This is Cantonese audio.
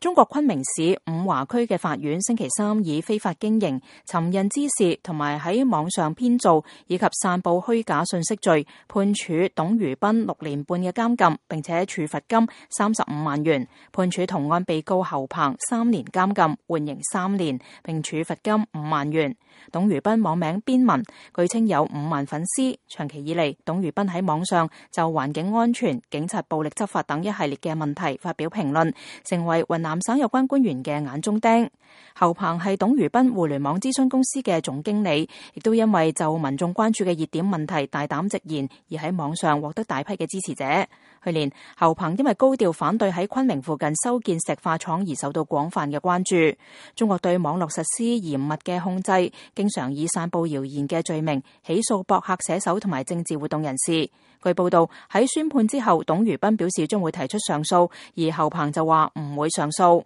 中國昆明市五華區嘅法院星期三以非法經營、尋釁滋事同埋喺網上編造以及散布虛假信息罪，判處董如斌6年半嘅監禁，並且處罰金35萬元，判處同案被告侯鵬3年監禁，緩刑3年，並處罰金5萬元。董如斌網名邊文，據稱有5萬粉絲。長期以嚟，董如斌喺網上就環境安全、警察暴力執法等一系列嘅問題發表評論，成為雲南省有關官員嘅眼中釘。侯鵬係董如斌互聯網諮詢公司嘅總經理，亦都因為就民眾關注嘅熱點問題大膽直言，而喺網上獲得大批嘅支持者。去年，侯鵬因為高調反對喺昆明附近修建石化廠而受到廣泛嘅關注。中國對網絡實施嚴密嘅控制，經常以散布謠言嘅罪名起訴博客寫手同埋政治活動人士。據報道，喺宣判之後，董如斌表示將會提出上訴，而侯鵬就話唔會上訴。